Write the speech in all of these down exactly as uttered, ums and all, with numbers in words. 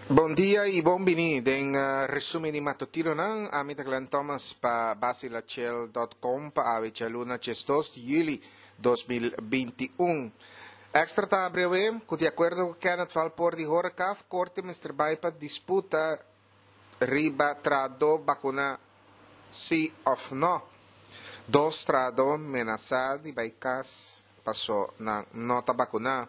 Bon dia y bon bini den uh, resumen di matutinonan. Ami ta Glenn Thomas pa basilachel punto com pa awe djaluna diesdos di juli dos mil binti un. Extra ta abri awe cu di acuerdo cu Kenneth Valpoort di Horecaf, corte mester bay pa disputa riba trado vacuna si of no. Dos trado menasa di bay cas paso nan no ta vacuna.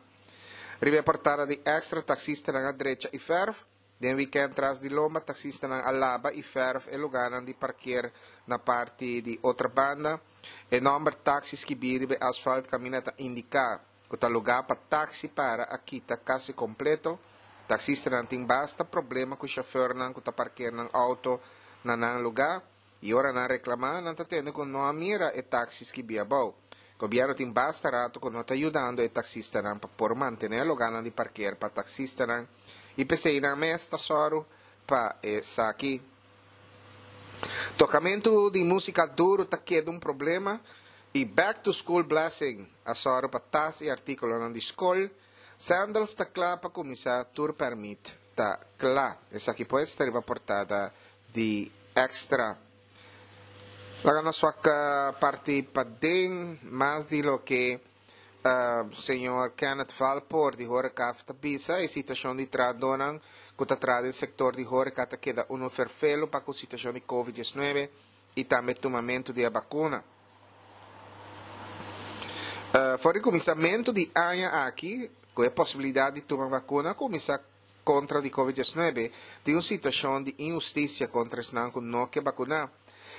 Riba portada di Extra, taxistanan a drecha y verf. Den weekend tras di lomba, taxistanan a laba y verf e lugarnan di parkeer na parti di otra banda. E nomber taxi skibi riba asfalt camina ta indica cu ta lugar pa taxi para a kita casi completo. Taxistanan tin basta problema cu chauffeurnan cu ta parkeer nan auto na nan lugar. Y ora nan reclama, nan ta tende cu no a mira e taxi skibi abou. Gobierno tin basta rato cu no ta ayudando e taxistanan pa por mantener lugarnan di parkeer pa taxistanan. Y p'esei nan mes ta soro pa esaki. Tocamento di música duro ta keda un problema y Back to School Blessing a soro pa tas y artículonan di school. Sandals ta cla pa cuminsa, tour permit ta cla. Esaki pues ta riba portada di Extra. Laga nos wak parti paden mas di loke uh, señor Kenneth Valpoort di Horecaf ta bisa. E situacion di tradonan cu ta tra den sector di horeca ta keda uno ferfelo pa cu situacion di COVID diesnuebe y tambe tumamento di vacuna. Uh, for di cuminsamento di aña aki, cu e posibilidad di tuma vacuna, cuminsa contra di COVID diesnuebe, di un situacion di inhusticia contra esnan cu no ke vacuna.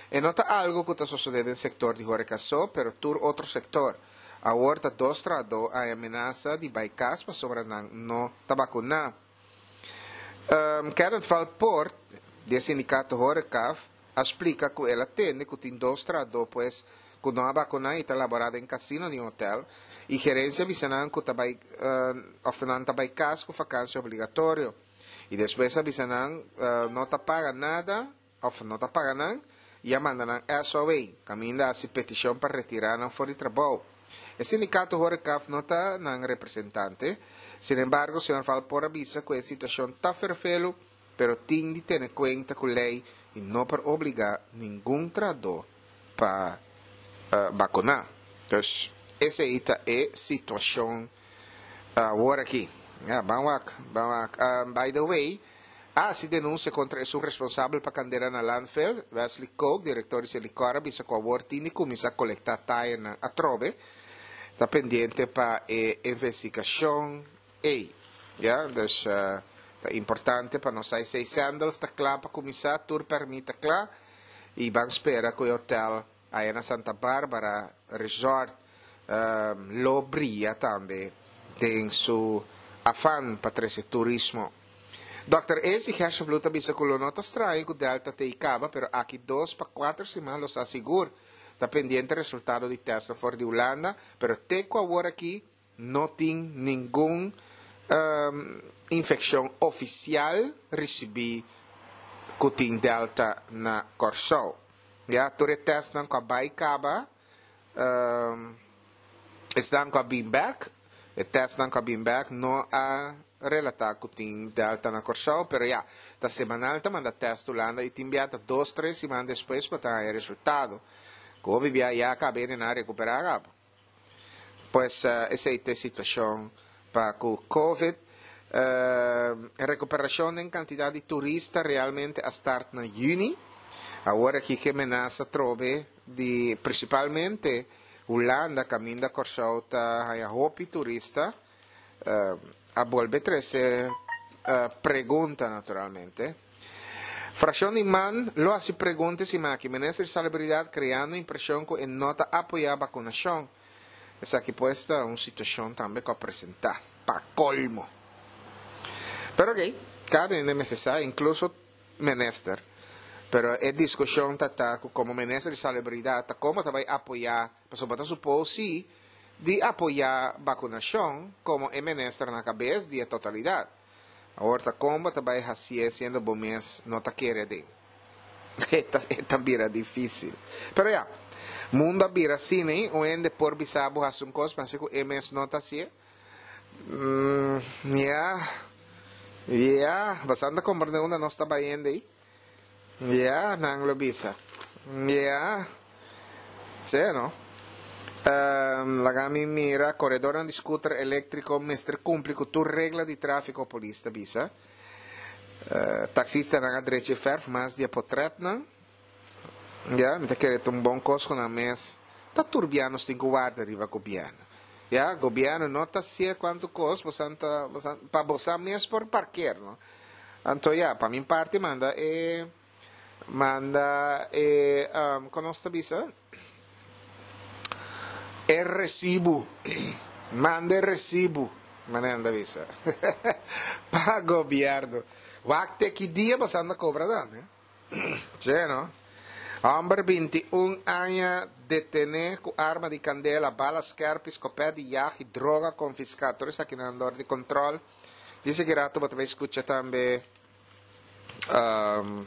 E no ta algo cu ta sucede den sector di horeca so, pero tur otro sector. Awor ta dos trado a amenaza di bay cas pasobra nan no ta vacuna. Um, Kenneth Valpoort, di sindicato Horecaf, a explica cu el a tende cu tin dos trado, pues, cu no a vacuna y ta labora den casino di hotel, y gerencia avisa nan cu ta bay, uh, of nan ta bay cas cu vakantie obligatorio. Y despues avisa nan, uh, no ta paga nada, of no ta paga nan, y a manda nan S O A, caminda haci peticion pa retirar nan for di trabou. E sindicato Horecaf no ta nan representante. Sin embargo, señor Valpoort avisa cu e situacion ta ferfelo, pero tin di tene cuenta cu ley y no por obliga ningun trado pa, uh, vacuna. Entonces, esa ta e situacion awor aki. Ja, ban wak, ban wak. Um, by the way, ah, si denuncia contra esun responsabel pa candela na landfill, Wesley Koch, director di Selikor, bisa cu awor tin di cuminsa colecta tire na atrobe. Ta pendiente pa e investigacion ei. Ja, dus, uh, ta importante pa nos sei sandals ta cla pa cuminsa, tour permit ta cla, y ban spera cu e hotel aya na Santa Barbara Resort, um, lo bria tambe den su afan pa trece turismo. Doctor Esi Gerstenbluth bisa cu lo no ta straño cu Delta te caba, pero aki dos pa cuater siman lo sa sigur. Ta pendiente resultado di test for di Hulanda, pero te cu awor aki no tin ningun, um, infeccion oficial recibi cu tin Delta na Corsou. Ja, tur e test nan cu a bay caba, um, esnan cu a bin back, e test nan cu a bin back no a relata cu tin Delta na Corsou, pero ja, ta semanal ta manda test Hulanda y tin biata dos, tres siman despues pa ta e resultado. Cu bibia ya cabe na recuperar gabo. Pues, uh, esa es la situación pa cu COVID. Uh, recuperación en cantidad de turistas realmente a start na juni. Awor aki cu amenaza trobe di principalmente Hulanda, caminda Corsou ta haya hopi turista. Uh, a bolbe trece, uh, pregunta naturalmente. Fracción di man lo hace preguntas y maki. Minister de Salubridad creando impresión que no ta apoya vacunación. Esaki pues ta un situación tambe cu a presenta. Pa colmo. Pero ok, cada hende mester sa, incluso minister. Pero e discusión ta ta como minister de Salubridad, ta como ta bay apoya, pasobra ta supo si, di apoya vacunación como e minister na cabeza di totalidad. Awor ta como ta bay haci siendo bo mes no ta kere den. Esta, esta bira difícil. Pero ya, mundo a bira asina, eh? Un hende por bisa bo haci un cos, pero cu e mes no ta asina. Mm, ya. Ja, boso ta komprondé unda nos ta bayendo ei? Ja, nan lo bisa. Ja. Sí, no? Um, laga mi mira, koredó di skuter eléktriko mester kumpli ku tur regla di tráfiko, polis ta bisa. Uh, taksistanan a drecha fèrf mas di portrètnan. Ja, mi ta kere un bon kos ku nan mes. Ta tur biaha nos tin ku warda riba gobièrnu. Ja, gobièrnu no ta hasi kuantu kos, bo ta, pa bo mes por parker, no? Anto, ja, pa mi parti manda e manda e um, kon ta bisa? E resibo. Manda e resibo. Manda bisa. Pa gobièrnu. Wak te ki dia bo ta kobra dan, eh? Sí, no? Hòmber bintiun aña detené ku arma di kandela, bala skèrpi, skopet di jag i droga konfiská. Tur esaki na di kontrol. Dise ku ratu bo ta skucha tambe um,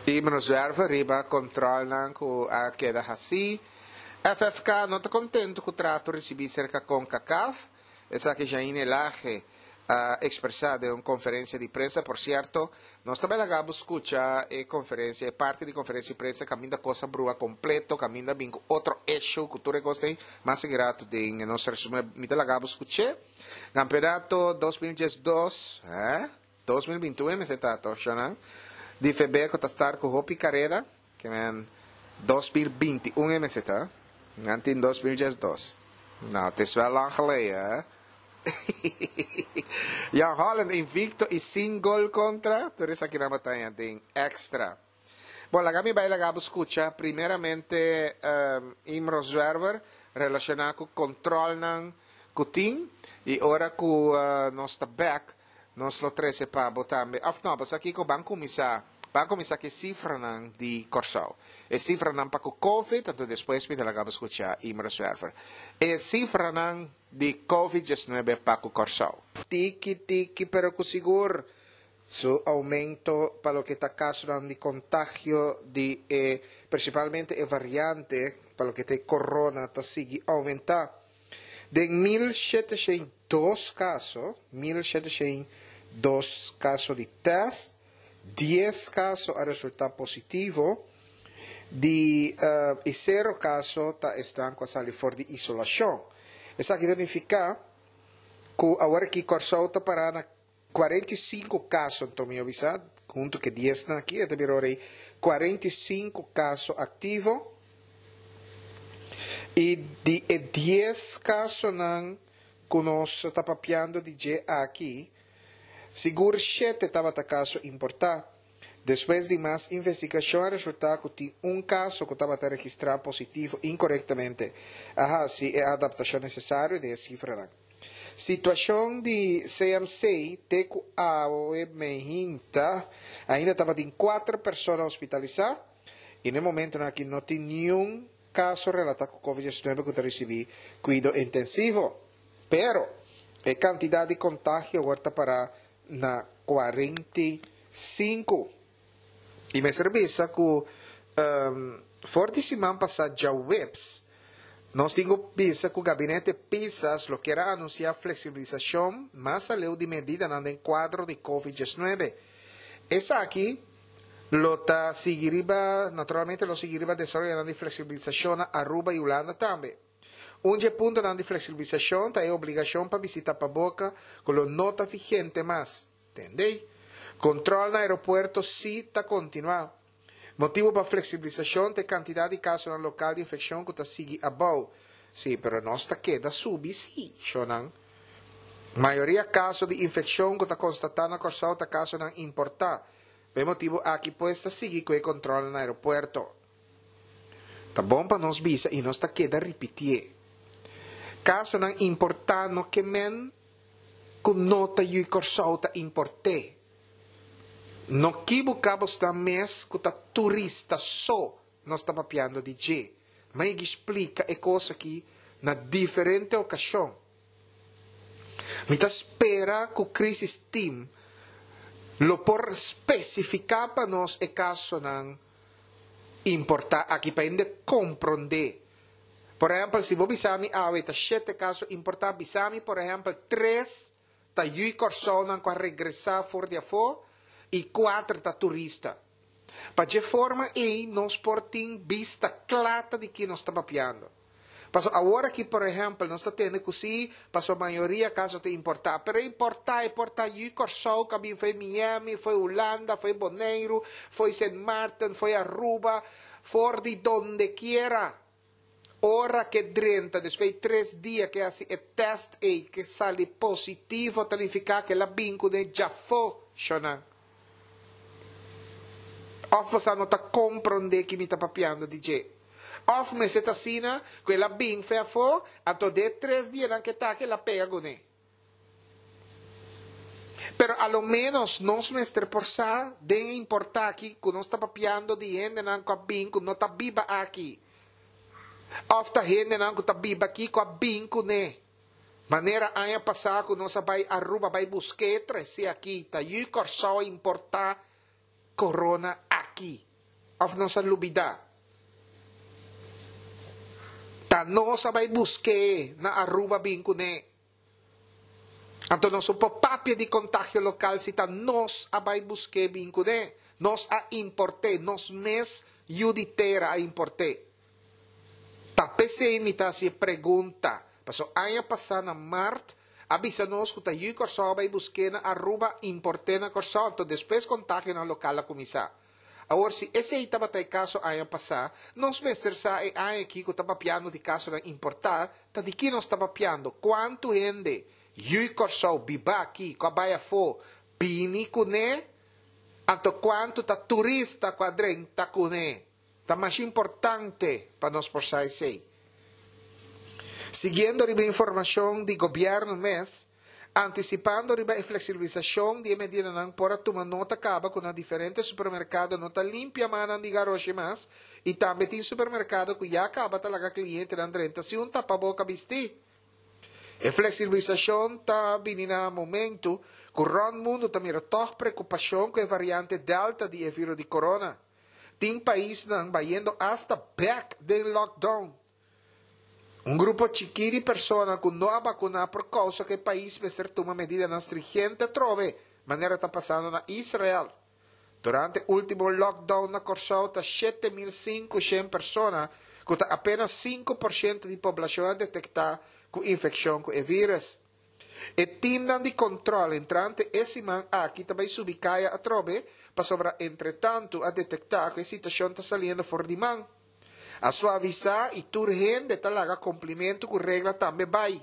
Imro Zwerver riba kontrolnan ku a keda hasí. F F K no ta kontentu ku e trato risibí serka CONCACAF. Esaki Jaine Laje a ekspresá den un konferensia di prensa. Por sierto, nos tambe a skucha e konferensia, parti di konferensia di prensa, kaminda kos a brua kompleto, kaminda bin otro issue, ku tur kos tin, mas grato den nos resumen, mi ta laga skucha. Kampeonato dos mil diesdos, eh? dos mil bintiun, mi ta tosha, di F B ta start ku hopi karera, ke men dos mil bintiun M Z, antes dos mil diesdos. Nou, het is wel lang geleden, hè? Jan Holland invikto i sin gol kontra. Tur esaki na bataya den Extra. Bon, laga mi bai laga skucha primeramente um, Imro Zwerver relashoná ku kontrolnan ku tin i ora ku uh, nos ta back nos lo trese pa bo tambe. Of no, pas aki ku ban kuminsá ban kuminsá ku sifranan di Kòrsou. E sifranan pa ku COVID, anto despues mi ta laga skucha Imro Zwerver. E sifranan di COVID diesnuebe pa ku Kòrsou. Tiki tiki pero ku sigur su oumento pa loke ta kaso di kontagio di eh, prinsipalmente e variante pa loke ta corona ta sigui oumentá. Den mil shete shen dos kaso, mil shete shen dos kaso di tèst, dies kaso a resultá positivo, di uh, i sero kaso ta esnan ku a sali for di isolashon. Esaki ta nifiká ku awor aki Kòrsou ta pará na kuarenta i sinku kaso, anto mi a bisa, huntu ku dies aki, ta bira kuarenta i sinku kaso aktivo. I di e dies kasonan ku nos ta papiando di dje aki, sigur shete tabata kaso importá. Despues di mas investigashon, a resultá ku tin un kaso ku tabata registrá positivo inkorektamente. A hasi e adaptashon nesesario di sifra. Situashon di C M C te ku awe mainta ainda tabatin kuater persona hospitalisá i na e momento aki no tin ningun kaso relatá ku COVID diesnuebe ku ta risibí kuido intensivo. Pero e kantidat di kontagio ta pará na kuarenta i sinku. I mester bisa ku um, for di siman pasá djaweps, nos tin ku bisa ku gabinete Pisas lo kier a anunsiá fleksibilisashon mas aleu di medidanan den kuadro di COVID diesnuebe. Esaki lo ta sigui riba, naturalmente lo sigui riba desaroyo di fleksibilisashon na Aruba i Hulanda tambe. Un di e puntonan di fleksibilisashon ta e obligashon pa bisti tapaboka ku lo no ta vigente mas. Entendé? Kontrol na aeropuerto sí ta kontinuá. Motibu pa fleksibilisashon ta kantidat di kaso lokal di infekshon ku ta sigui abou. Sí, pero nos ta keda subi sí, shonan. Mayoria kaso di infekshon ku ta konstatá na Kòrsou ta kasonan importá. Pa e motibu aki pues ta sigui ku e kontrol na aeropuerto. Ta bon pa nos bisa i nos ta keda ripití. Kasonan importá no ke men ku no ta yu'i Kòrsou ta import'é. No kibuká bo mes ku ta turista so nos ta papiando di dje. Mi a splika e kos aki na diferente okashon. Mi ta spera ku crisis team lo por spesifiká pa nos e kasonan importá aki pa hende komprondé. Por ehèmpel, si bo bisa mi awe ta shete kaso importá, bisa mi, por ehèmpel, tres ta yu'i Kòrsounan ku a regresá for di afó i kuater ta turista. Pa dje forma ei nos por tin bista kla ta di ki nos ta papiando. Paso awor aki por ehèmpel nos ta tende ku si paso mayoria kaso ta importá, pero importá e por ta yu'i Kòrsou ku a bin fo'i Miami, fo'i Hulanda, fo'i Boneiru, fo'i Sint Maarten, fo'i Aruba, for di donde kiera. Ora ku e drenta despues di tres dia ku hasi e tèst ei ku sali positivo ta nifiká ku el a bin kuné djafó, shonnan. Òf boso no ta komprondé ki mi ta papiando di dje? Òf mester ta asina ku el a bin fo'i afó, anto den tres dianan ku e ta aki el a pega kuné. Pero a lo ménos nos mester por sa den e importá aki ku nos ta papiando di hendenan ku a bin ku no ta biba aki. Òf ta hendenan ku ta biba aki ku a bin kuné. Manera aña pasá ku nos a bai Aruba bai busk'é trese aki, ta yu Kòrsou a importá corona aki. Òf nos a lubidá? Ta nos a bai busk'é na Aruba bin kuné. Anto nos no por papia di kontagio lokal si ta nos a bai busk'é bin kuné. Nos a import'é, nos mes yu di tera a import'é. Ta p'esei mi ta hasi e pregunta, paso aña pasá na mart a bisa nos ku ta yu Kòrsou a bai busk'é na Aruba import'é na Kòrsou, anto despues kontagionan lokal a kuminsá. Awor si esei tabata e kaso aña pasá, nos mester sa e aña aki ku ta papiando di kasonan importá, ta di ki nos ta papiando, kuantu hende yu'i Kòrsou biba aki ku a bai afó bini kuné, anto kuantu ta turista ku a drenta kuné. Ta masha importante pa nos por sa esei. Siguiendo riba informashon di gobièrnu mes, antisipando riba e fleksibilisashon di e medidanan por a tuma nota kaba ku na diferente supermerkado no ta limpia mannan di garoshi mas i tambe tin supermerkado ku ya kaba ta laga klientenan drenta sin un tapaboka bistí. E fleksibilisashon ta bini na momentu ku rònt mundu ta mira tòg preokupashon ku e variante Delta di e viro di corona. Tin paisnan bayendo asta bèk den lockdown. Un grupo chikí di persona ku no a bakuná por kousa ku e pais mester tuma medidanan stringente atrobe, manera ta pasando na Israel. Durante último lockdown na Kòrsou ta shete mil sinku shen persona, ku ta apenas sinku por shento di poblashon a detektá ku infekshon ku e vírùs. E timnan di kòntròl entrante e siman aki ta bai subi kaya atrobe pasobra entretantu a detektá ku e situashon ta saliendo for di man. A suavisá i tur hende ta laga kumplimentu ku regla tambe bai.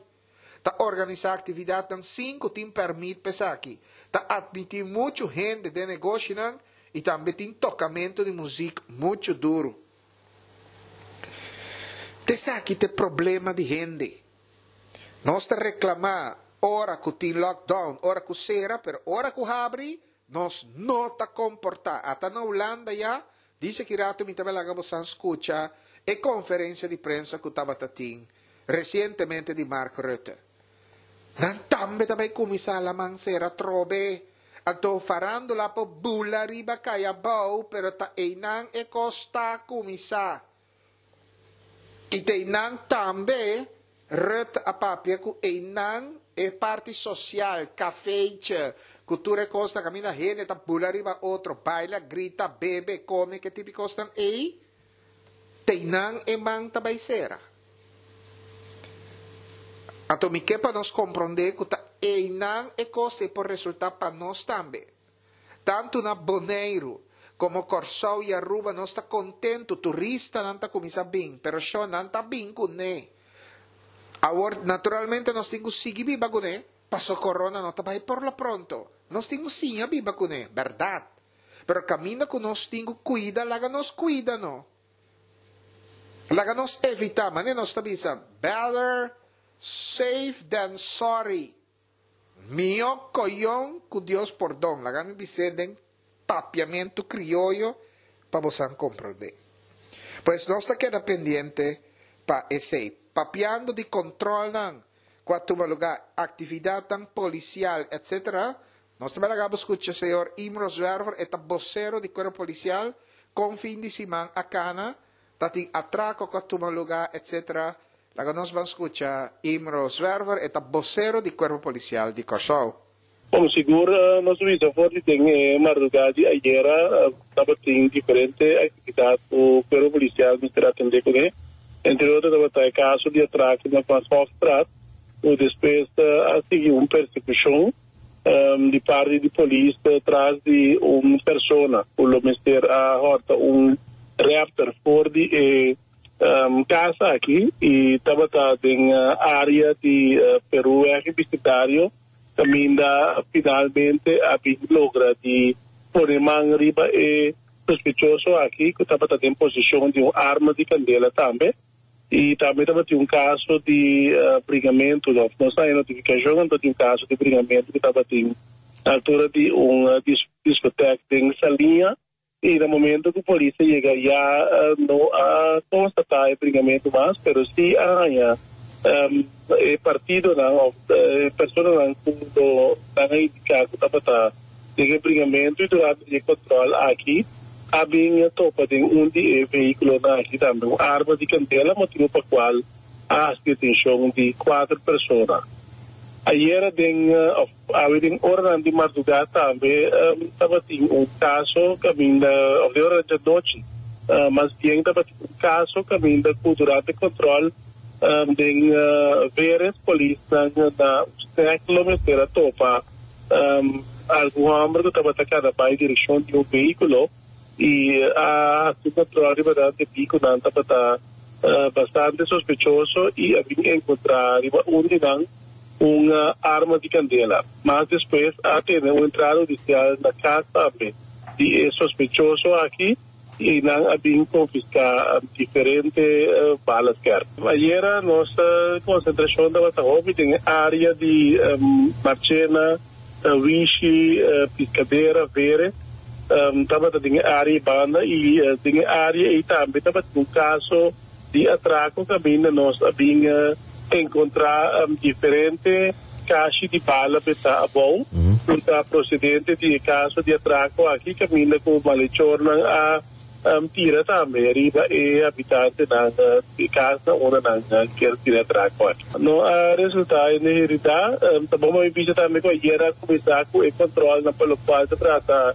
Ta organisá aktividatnan sin ku tin pèrmit pa esaki. Ta atmití muchu hende den negoshinan i tambe tin tokamentu di muzik muchu duru. Ta esaki ta e problema di hende. Nos ta reklamá ora ku tin lockdown, ora ku sera, pero ora ku habri nos no ta komportá. Ata na Hulanda ya, dice ki rato mi ta bai laga bosan skucha e konferensia di prensa ku tabata tin resientemente di Mark Rutte. Nan tambe ta bai kuminsá laman sera atrobe. Anto farándula por bula riba kai abou, pero ta einan e kos ta kuminsá. I ta einan tambe Rutte a papia ku einan e parti sosial, kafeitje, ku tur e kosnan kaminda hende ta bula riba otro, baila, grita, bebe, kome, ke tipo kosnan ei, ta einan e man ta bai sera. Anto mi ke pa nos komprondé ku ta einan e kos ei por resultá pa nos tambe. Tantu na Boneiru, komo Kòrsou i Aruba nos ta kontentu, turistanan ta kuminsá bin, pero shò nan ta bin kuné. Awor, naturalmente nos tin ku sigui biba kuné, paso corona no ta bai por lo pronto. Nos tin ku siña biba kuné, bèrdat. Pero kaminda ku nos tin ku kuida, laga nos kuida no. Laga nos evitá, manera nos ta bisa, better safe than sorry. Mihó koyon ku Dios pordon. Laga mi bis'é den papiamentu krioyo pa bosan komprondé. Pues nos ta keda pendiente pa esei. Papiando di kontrolnan ku a tuma lugá, aktividatnan polisial etc. Nos ta bai laga bo skucha señor Imro Zwerver, e ta bosero di Kuerpo Polisial, kon fin di siman a kana, ta tin atrako ku a tuma lugá etc. Laga nos ban skucha Imro Zwerver, e ta bosero di Kuerpo Polisial di Kòrsou. Komo sigur nos bisa for di den e mardugá di ayera tabatin diferente aktividat ku Kuerpo Polisial mester atendé kuné. Entre otro tabata e kaso di atrako na Van Goghstraat ku despues a sigui un persekushon di parti di polis tras di un persona ku lo mester a hòrta un Raptor for di e kas aki i tabata den área di Peruweg i Bisentario kaminda finalmente a bin logra di pone man riba e sospechoso aki ku tabata den poseshon di un arma di kandela tambe i tambe tabatin un kaso di bringamentu òf nos a haña notifikashon anto di un kaso di bringamentu ku tabatin na altura di un diskotèk den Saliña. I na momento ku polis a yega ya no a konstatá e bringamentu mas, pero sí a haña e partidonan òf e personanan ku lo nan a indiká ku tabata den e bringamentu i durante di e kòntròl aki a bin topa den un di e vehíkulonan aki tambe un arma di kandela, motibu pa kual a hasi detenshon di kuater persona. Ayera den of awe den oranan di mardugá tambe tabatin un kaso kaminda, of den oranan djanochi mas bien tabatin un kaso kaminda ku durante kòntròl den Veres polisnan na un stek lo mester a topa algun hòmber ku tabata kana bai direkshon di un vehíkulo i a hasi kòntròl riba nan debí ku nan tabata bastante sospechoso i a bin enkontrá riba un di nan un arma di kandela. Mas despues a tene un entrada hudisial na kas tambe di e sospechoso aki i nan a bin konfiská diferente bala skèrp. Ayera nos konsentrashon tabata hopi den e área di Marchena, Wishi, Piskadera, Vere. Tabata den e área ei banda i den e área ei tambe tabatin un kaso di atrako kaminda nos a bin enkontrá diferente kashi di bala betá abou ku ta prosedente di e kaso di atrako aki kaminda ku malechornan a tira tambe riba e habitantenan di e kasnan ora nan kier tira atrako aki. No a resultá hende heridá. Ta bon pa mi bisa tambe ku ayer a kuminsá ku e kòntròlnan pa lokual ta trata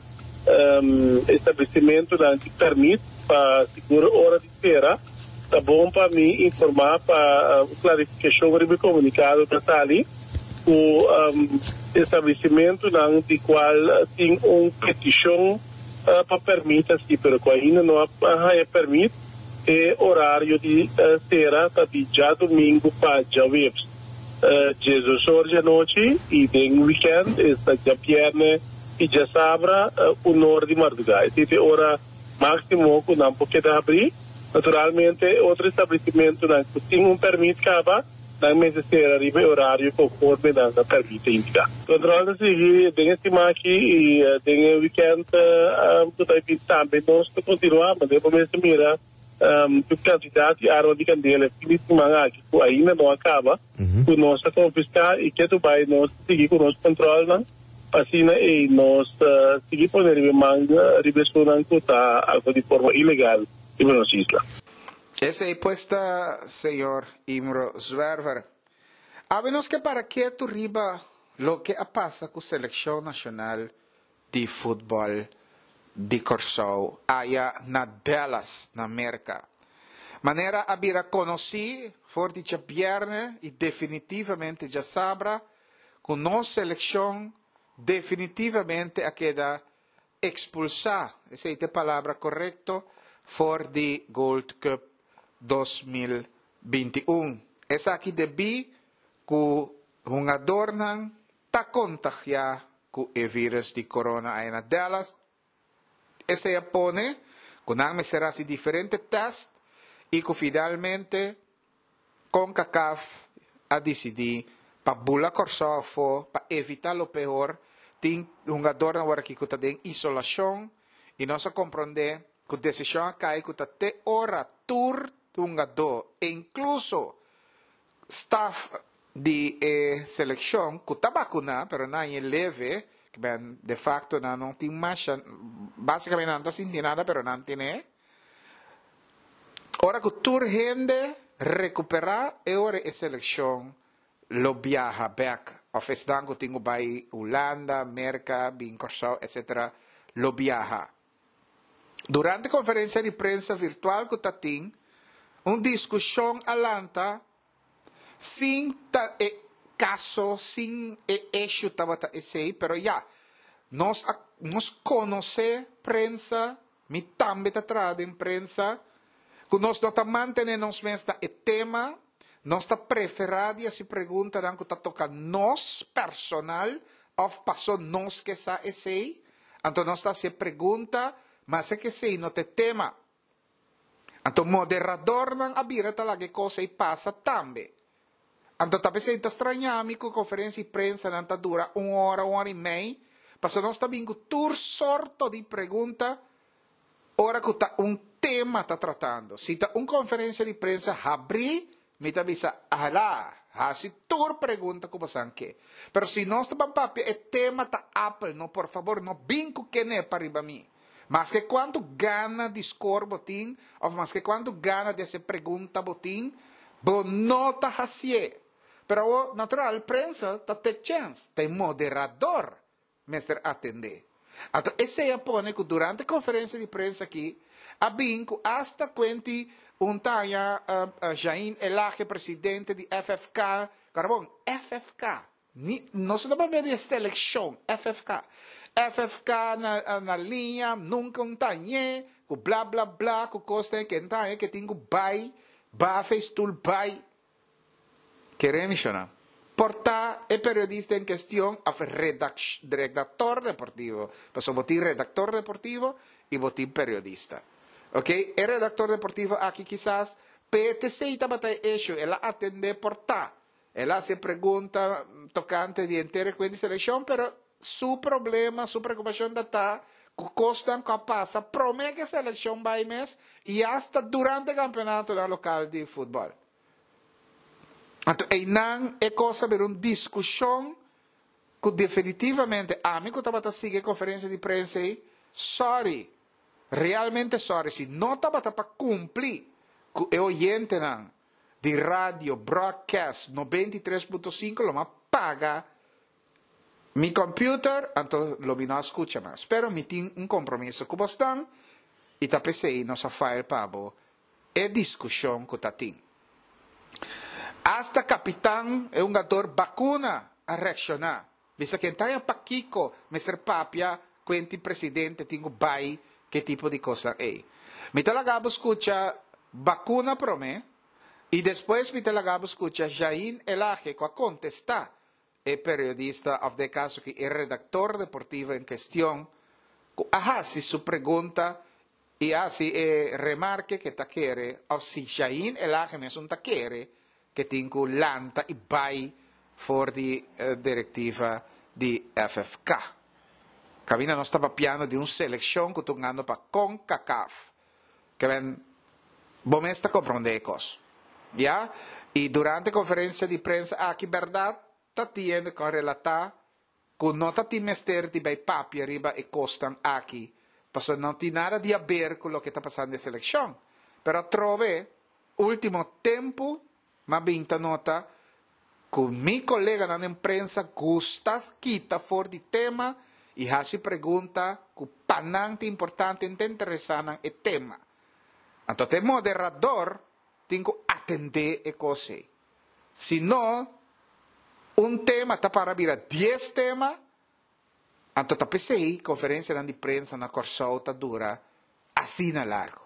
establesimentunan di pèrmit pa sigur ora di sera. Ta bon pa mi informá pa un klarifikashon riba e komunikado ta sali ku establesimentunan di kual tin un petishon pa pèrmit asi pero ku ainda no a haña pèrmit, e orario di sera ta di djadumingu pa djaweps diesdos or djanochi i den wikènt esta djabièrnè i djasabra un or di mardugá. Esei ta e ora máksimo ku nan por keda habrí. Naturalmente, otro establesimentunan ku tin un pèrmit kaba, nan mester sera riba e orario konforme nan pèrmit ta indiká. Kòntròl ta sigui den e siman aki i den e wikènt ku ta bin tambe. Nos ta kontinuá manera bo mester mira tur kantidat di arma di kandela e fin di siman aki ku ainda no a kaba ku nos a konfiská i ketu bai nos ta sigui ku nos kòntròlnan pa asina ei nos ta sigui pone riba e man riba esunnan ku ta aktua di forma ilegal riba nos isla. Esei pues ta señor Imro Zwerver. Awe nos ke para ketu riba loke a pasa ku selekshon nashonal di futbòl di Kòrsou aya na Dallas na Merka. Manera a bira konosí for di djabièrnè i definitivamente djasabra ku nos selekshon definitivamente a keda Expulsá, esei ta e palabra korekto, for di Gold Cup dos mil binti un. Esaki debí ku hungadornan ta kontagiá ku e vírus di corona aya na Dallas. Esei a pone ku nan mester hasi diferente tèst i ku finalmente Concacaf a disidí pa bula Kòrsou afó pa evitá lo peor. Tin hungadornan awor aki ku ta den isolashon i nos a komprondé ku desishon a kai ku ta te ora tur hungadó, inkluso staf di e selekshon ku ta bakuná pero nan a leve, ke men de fakto nan no tin masha, básikamente nan no ta sinti nada pero nan tene. Ora ku tur hende rekuperá e ora e selekshon lo biaha bèk Òf esnan ku tin ku bai Hulanda, Merka, bin Kòrsou, et cetera lo biaha. Durante konferensia di prensa virtual ku tatin, un diskushon a lanta sin ta e kaso, sin e issue tabata esei, pero ya, nos, nos konosé prensa, mi tambe ta traha den prensa, ku nos no ta mantené nos mes na e tema, nos ta preferá di hasi preguntanan ku ta toka nos personal, òf pasó nos ke sa esei, anto nos ta hasi pregunta, mas ku esei no ta tema. Anto moderadornan a bira ta laga kos ei pasa tambe. Anto ta p'esei ta straña mi ku konferensia di prensanan ta dura un ora, un ora i mei, pasó nos ta bin ku tur sorto di pregunta ora ku ta un tema ta tratando. Si ta un konferensia di prensa habrí, mi ta bisa, ala, hasi tur pregunta ku bo ke. Pero si nos ta papia, e tema ta Apple, no, por fabor, no bin ku kuné pariba mi. Maske kuantu gana di score bo tin, òf maske kuantu gana di hasi pregunta bo tin, bo no ta hasié. Pero natural, prensa ta take chance, ta moderador mester atendé. Anto, esei a pone ku durante konferensia di prensa aki, a bin ku hasta kuenti un taña uh, uh, Jain Elhage, presidente di F F K, carbon, F F K, ni, no se ta di selekshon, F F K. F F K na, na liña, nunka un tañe, ku bla bla bla, ku kos ku tañe, ku tin ku bai, bafa stoel bai. Kere menshoná. Por ta e periodista en kuestion, òf redaktor deportivo. Pasó bo tin redaktor deportivo i bo tin periodista. Ok? E redaktor deportivo aki kisas P T C tabata issue, el a atendé por ta. El a hasi pregunta tokante di henter e selekshon, pero su problema, su preokupashon ta ku kosnan ku a pasa promé ku selekshon bai mes i hasta durante kampeonato lokal di futbòl. Anto, einan e kos a bira un diskushon ku definitivamente ami ku tabata sigui konferensia di prensa ei, sorry, realmente sorry, si no tabata pa kumpli ku e oyentenan di radio broadcast nobenta i tres punto sinku, lo m'a paga mi computer, anto lo mi no skucha mas. Pero mi tin un kompromiso ku boso i ta p'esei nos a file pa bo e diskushon ku tatin. Hasta kapitan e hungadó Bacuna a reakshoná. Bisa ku ta pakiko mester papia kuenti presidente tin ku bai ku tipo di kos ei. Mi ta laga bo skucha Bacuna promé i despues mi ta laga bo skucha Jain Elhage ku a kontestá e periodista òf den kaso ku e redaktor deportivo en kuestion ku a hasi su pregunta i hasi e remarke ku ta kere òf si Jain Elhage mes ta kere ku tin ku lanta i bai for di uh, direktiva di F F K. Kaminda nos ta papiando di un selekshon ku ta hungando pa CONCACAF. Ke men, bo mes ta komprondé kos. Ya? I durante konferensia di prensa aki, berdat, ta tende ku relatá ku no ta tin mester di bai papia riba e kosnan aki. Pasó no tin nada di aber ku loke ta pasando den selekshon. Pero atrobe, último tempu, m'a bin ta nota ku mi koleganan den prensa gusta kita for di tema i hasi pregunta ku pa nan ta importante i interesá e tema. Anto, e moderador tin ku atendé e kos. Si no, un tema ta para bira dies tema, anto ta p'esei konferensia di prensa na Kòrsou ta dura asina largu.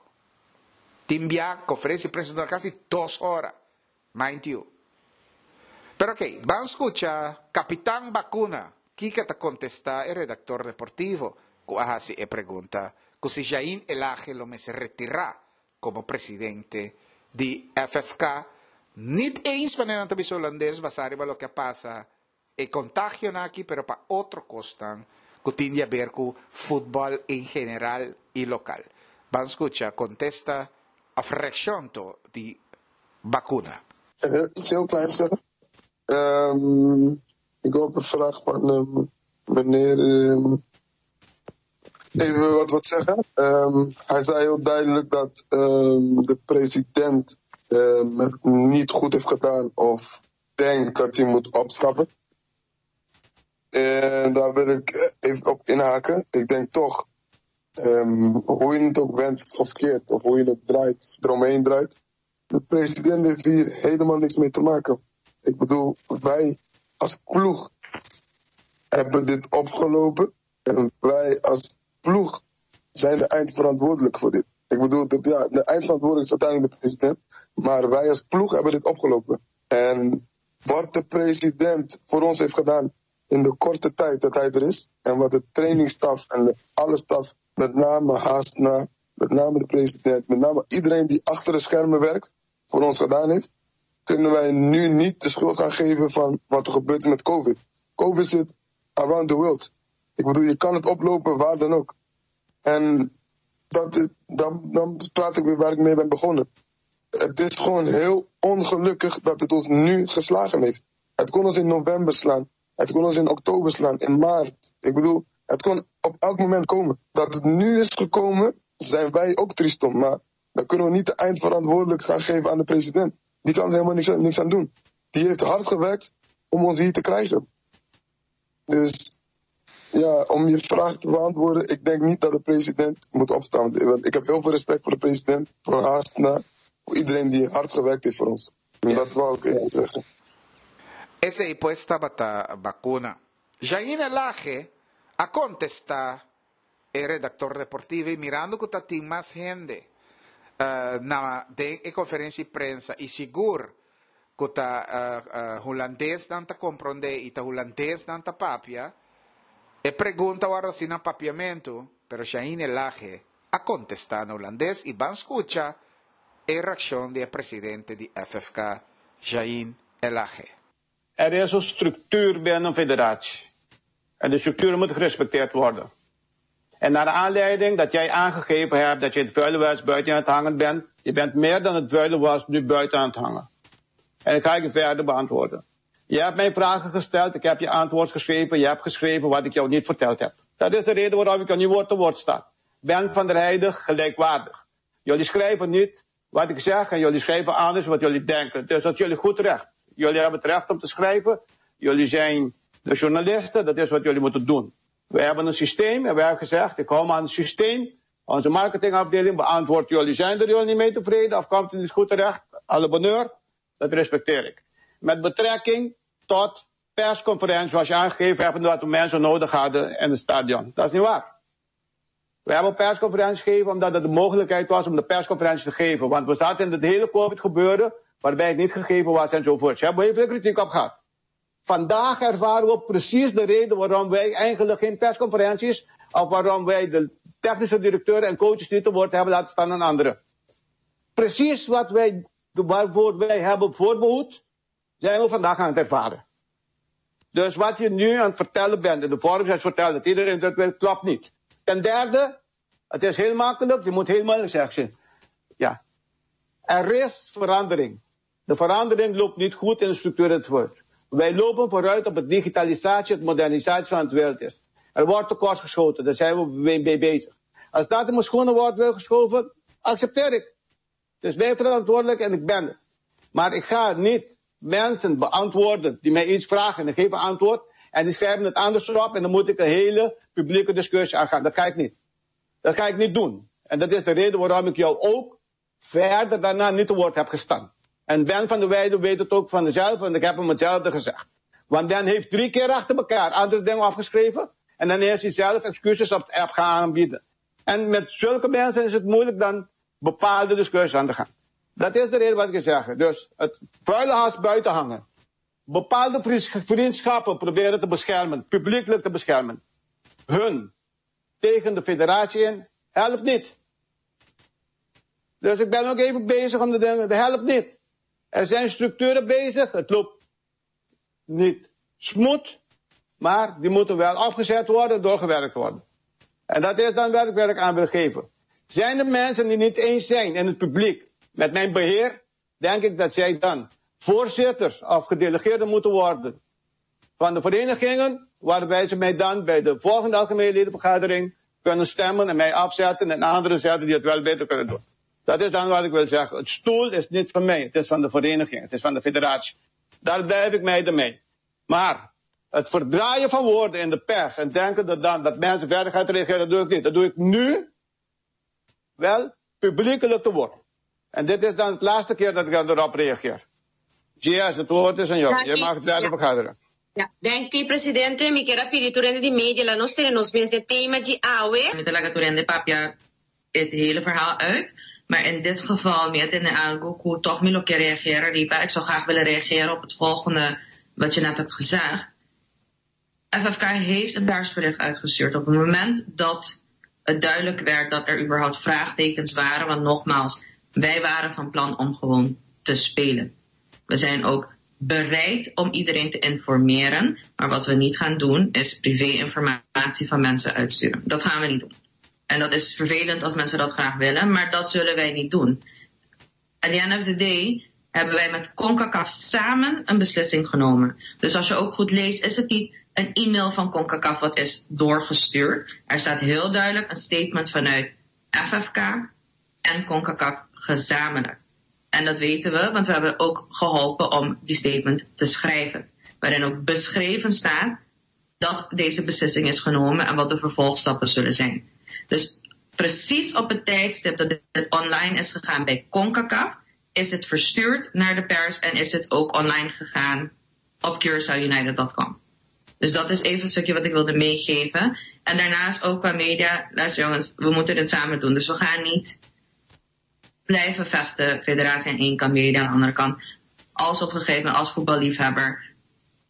Tin bia konferensia di prensa dura kasi dos ora, mind you. Pero ok, ban skucha Kapitan Bacuna, kiko ta kontestá e redaktor deportivo, ku a hasi e pregunta, ku si Jain Elhage lo mester retirá komo presidente di F F K, niet eens wanneer ta bisa hulandes basá riba loke a pasa e kontagio aki, pero pa otro kosnan ku tin di aber ku futbòl en general i lokal. Ban skucha kontesta òf reakshon di Bacuna. Uh, iets heel kleins zeggen. Um, ik wil op de vraag van um, meneer um, even wat, wat zeggen. Um, hij zei heel duidelijk dat um, de president um, het niet goed heeft gedaan of denkt dat hij moet opstappen. En daar wil ik even op inhaken. Ik denk toch, um, hoe je het ook wendt of keert, of hoe je het draait, eromheen draait. De president heeft hier helemaal niks mee te maken. Ik bedoel, wij als ploeg hebben dit opgelopen. En wij als ploeg zijn de eindverantwoordelijk voor dit. Ik bedoel, de, ja, de eindverantwoordelijk is uiteindelijk de president. Maar wij als ploeg hebben dit opgelopen. En wat de president voor ons heeft gedaan in de korte tijd dat hij er is. En wat de trainingsstaf en de, alle staf, met name Hasna, met name de president, met name iedereen die achter de schermen werkt, voor ons gedaan heeft, kunnen wij nu niet de schuld gaan geven van wat er gebeurt met COVID. COVID zit around the world. Ik bedoel, je kan het oplopen waar dan ook. En dat, dan, dan praat ik weer waar ik mee ben begonnen. Het is gewoon heel ongelukkig dat het ons nu geslagen heeft. Het kon ons in november slaan. Het kon ons in oktober slaan, in maart. Ik bedoel, het kon op elk moment komen. Dat het nu is gekomen, zijn wij ook triest om. Maar dan kunnen we niet de eindverantwoordelijk gaan geven aan de president. Die kan er helemaal niks, niks aan doen. Die heeft hard gewerkt om ons hier te krijgen. Dus ja, om je vraag te beantwoorden, ik denk niet dat de president moet opstaan. Want ik heb heel veel respect voor de president, voor Hasna, voor iedereen die hard gewerkt heeft voor ons. En dat wou ik even zeggen. Esei pues tabata Bacuna. Jaine Lage a kontestá e redaktor deportivo i mirando ku tabatin mas hende uh, na den e konferensia di prensa i sigur ku ta uh, uh, hulandes nan ta komprondé i ta hulandes nan ta papia, e pregunta a wòrdu hasí na papiamentu, pero Jaine Lage a kontestá na hulandes i ban skucha e reakshon di presidente di F F K, Jain Elage. Er is een structuur binnen een federatie. En de structuur moet gerespecteerd worden. En naar de aanleiding dat jij aangegeven hebt dat je het vuile was buiten aan het hangen bent, je bent meer dan het vuile was nu buiten aan het hangen. En ik ga je verder beantwoorden. Je hebt mij vragen gesteld, ik heb je antwoord geschreven, je hebt geschreven wat ik jou niet verteld heb. Dat is de reden waarom ik jou nu woord te woord sta. Ben van der Heijden gelijkwaardig. Jullie schrijven niet wat ik zeg en jullie schrijven anders wat jullie denken. Dus dat is jullie goed recht. Jullie hebben het recht om te schrijven. Jullie zijn de journalisten, dat is wat jullie moeten doen. We hebben een systeem en wij hebben gezegd, ik hou me aan het systeem. Onze marketingafdeling beantwoordt jullie. Zijn er jullie niet mee tevreden of komt het niet goed terecht? Alle bonheur, dat respecteer ik. Met betrekking tot persconferentie, zoals je aangegeven hebt, dat we mensen nodig hadden in het stadion. Dat is niet waar. We hebben een persconferentie gegeven omdat het de mogelijkheid was om de persconferentie te geven. Want we zaten in het hele COVID gebeuren, waarbij het niet gegeven was enzovoort. Ze hebben heel veel kritiek op gehad. Vandaag ervaren we precies de reden waarom wij eigenlijk geen persconferenties, of waarom wij de technische directeur en coaches niet te woord hebben laten staan aan anderen. Precies wat wij, waarvoor wij hebben voorbehoed, zijn we vandaag aan het ervaren. Dus wat je nu aan het vertellen bent, in de vorm zoals vertellen dat iedereen dat wil, klopt niet. Ten derde, het is heel makkelijk, je moet helemaal zeggen. Ja. Er is verandering. De verandering loopt niet goed in de structuur het woord. Wij lopen vooruit op het digitalisatie, het modernisatie van het wereld is. Er wordt tekort geschoten, daar zijn we mee bezig. Als dat in mijn schoenen wordt geschoven, accepteer ik. Dus wij verantwoordelijk en ik ben het. Maar ik ga niet mensen beantwoorden die mij iets vragen en ik geef een antwoord en die schrijven het anders op en dan moet ik een hele publieke discussie aangaan. Dat ga ik niet. Dat ga ik niet doen. En dat is de reden waarom ik jou ook verder daarna niet te woord heb gestaan. En Ben van der Weijden weet het ook van zichzelf en ik heb hem hetzelfde gezegd. Want Ben heeft drie keer achter elkaar andere dingen opgeschreven en dan heeft hij zelf excuses op de app gaan aanbieden. En met zulke mensen is het moeilijk dan bepaalde discussies aan te gaan. Dat is de reden wat ik zeg. Dus het vuile has buiten hangen. Bepaalde vriendschappen proberen te beschermen, publiekelijk te beschermen. Hun tegen de federatie in, helpt niet. Dus ik ben ook even bezig om de dingen, dat helpt niet. Er zijn structuren bezig, het loopt niet smooth, maar die moeten wel afgezet worden, doorgewerkt worden. En dat is dan wat ik werk aan wil geven. Zijn er mensen die niet eens zijn in het publiek met mijn beheer, denk ik dat zij dan voorzitters of gedelegeerden moeten worden van de verenigingen, waarbij ze mij dan bij de volgende algemene ledenvergadering kunnen stemmen en mij afzetten en anderen zetten die het wel beter kunnen doen. Dat is dan wat ik wil zeggen. Het stoel is niet van mij, het is van de vereniging, het is van de federatie. Daar blijf ik mij ermee. Maar Het verdraaien van woorden in de pers en denken dat, dan, dat mensen verder gaan reageren, dat doe ik niet. Dat doe ik nu wel publiekelijk te woord. En dit is dan het laatste keer dat ik dan erop reageer. G S, het woord is aan jou. Je mag het verder ja. vergaderen. Ja, danki, presidente. Mi ke pidi tur hende di media, laga nos tene nos mes den tema di awe. Mi ta laga tur hende papia het hele verhaal uit. Maar in dit geval, mi a tende algo ku toch mi lo ke reageren, riba. Ik zou graag willen reageren op het volgende wat je net hebt gezegd. F F K heeft een persbericht uitgestuurd op het moment dat het duidelijk werd dat er überhaupt vraagtekens waren. Want nogmaals, wij waren van plan om gewoon te spelen. We zijn ook bereid om iedereen te informeren. Maar wat we niet gaan doen, is privé-informatie van mensen uitsturen. Dat gaan we niet doen. En dat is vervelend als mensen dat graag willen, maar dat zullen wij niet doen. At the end of the day hebben wij met CONCACAF samen een beslissing genomen. Dus als je ook goed leest, is het niet een e-mail van CONCACAF wat is doorgestuurd. Er staat heel duidelijk een statement vanuit F F K en CONCACAF gezamenlijk. En dat weten we, want we hebben ook geholpen om die statement te schrijven. Waarin ook beschreven staat dat deze beslissing is genomen en wat de vervolgstappen zullen zijn. Dus precies op het tijdstip dat het online is gegaan bij CONCACAF, is het verstuurd naar de pers en is het ook online gegaan op Curaçao United punt com. Dus dat is even een stukje wat ik wilde meegeven. En daarnaast ook qua media, luister jongens, we moeten dit samen doen. Dus we gaan niet blijven vechten, federatie aan één kant, media aan de andere kant. Als op een gegeven moment, als voetballiefhebber,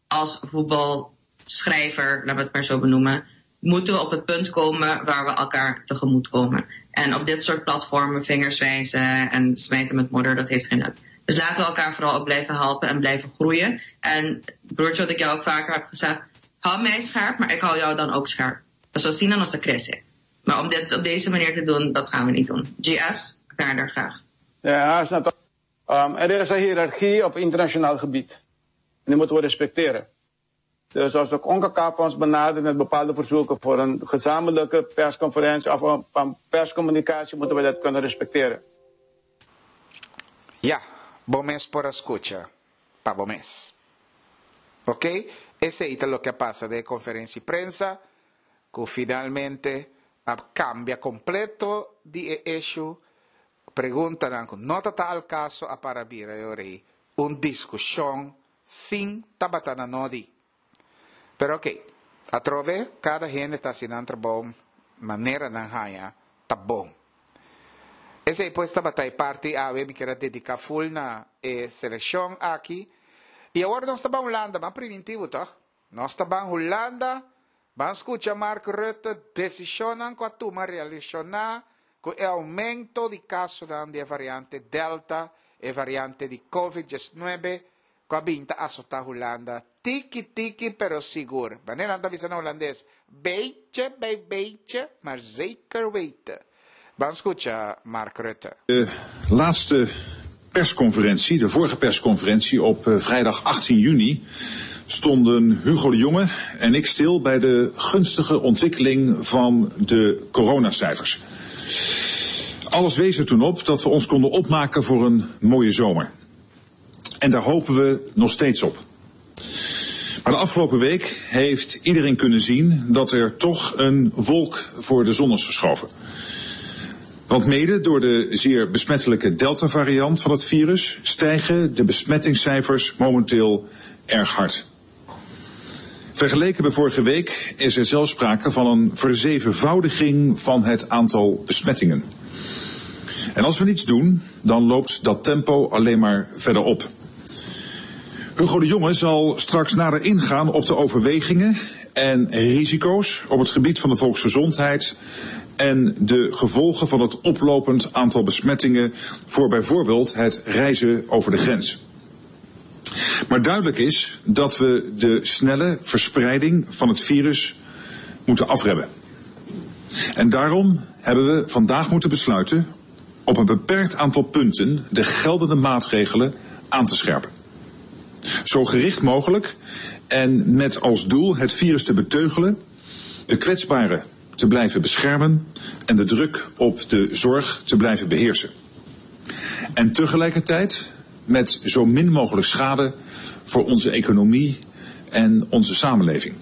als voetbalschrijver, laten we het maar zo benoemen, moeten we op het punt komen waar we elkaar tegemoet komen. En op dit soort platformen vingers wijzen en smijten met modder, dat heeft geen nut. Dus laten we elkaar vooral ook blijven helpen en blijven groeien. En broertje, wat ik jou ook vaker heb gezegd, hou mij scherp, maar ik hou jou dan ook scherp. Zo zien dan als de crisis. Maar om dit op deze manier te doen, dat gaan we niet doen. G S, verder graag. Ja, snap. Um, er is een hiërarchie op internationaal gebied. En die moeten we respecteren. Dus als de CONCACAF ons benadert met bepaalde verzoeken voor een gezamenlijke persconferentie of een, een perscommunicatie, moeten we dat kunnen respecteren. Ja, bo mes por a skucha. Pa bo mes. Ok? Esei ta loke a pasa den konferensia di prensa, ku finalmente a kambia kompleto di issue, preguntanan ku no ta al kaso a para bira un diskushon sin tabata na nodi. Pero ok, atrobe, kada hende ta hasi nan trabou manera nan haña ta bon. Esei pues tabata e parti awe mi ke a dediká full na e selekshon aki. I awor nos ta bai Hulanda, mas preventivo, ta? Nos ta bai Hulanda, ban skucha Mark Rutte, desishon ku a tuma relashoná ku e oumento di kaso di variante Delta e variante di COVID diesnuebe, ku a bin ta asotá Hulanda. Tiki tiki, pero sigur. Manera nan ta bisa na hulandes? Beetje bij beetje, maar zeker weten. Ban skucha Mark Rutte. De laatste persconferentie, de vorige persconferentie op eh, vrijdag achttien juni, stonden Hugo de Jonge en ik stil bij de gunstige ontwikkeling van de coronacijfers. Alles wees er toen op dat we ons konden opmaken voor een mooie zomer. En daar hopen we nog steeds op. Maar de afgelopen week heeft iedereen kunnen zien dat er toch een wolk voor de zon is geschoven. Want mede door de zeer besmettelijke Delta-variant van het virus stijgen de besmettingscijfers momenteel erg hard. Vergeleken bij vorige week is er zelfs sprake van een verzevenvoudiging van het aantal besmettingen. En als we niets doen, dan loopt dat tempo alleen maar verder op. Hugo de Jonge zal straks nader ingaan op de overwegingen en risico's op het gebied van de volksgezondheid en de gevolgen van het oplopend aantal besmettingen voor bijvoorbeeld het reizen over de grens. Maar duidelijk is dat we de snelle verspreiding van het virus moeten afremmen. En daarom hebben we vandaag moeten besluiten op een beperkt aantal punten de geldende maatregelen aan te scherpen. Zo gericht mogelijk en met als doel het virus te beteugelen, de kwetsbaren te blijven beschermen en de druk op de zorg te blijven beheersen. En tegelijkertijd met zo min mogelijk schade voor onze economie en onze samenleving.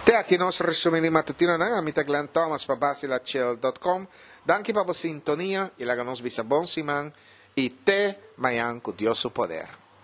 Te aki nos resumen di matutino. Ami ta Glenn Thomas pa basilachill punto com. Danki pa e sintonia i laga nos bisa bon siman i te mañan ku Dios su poder.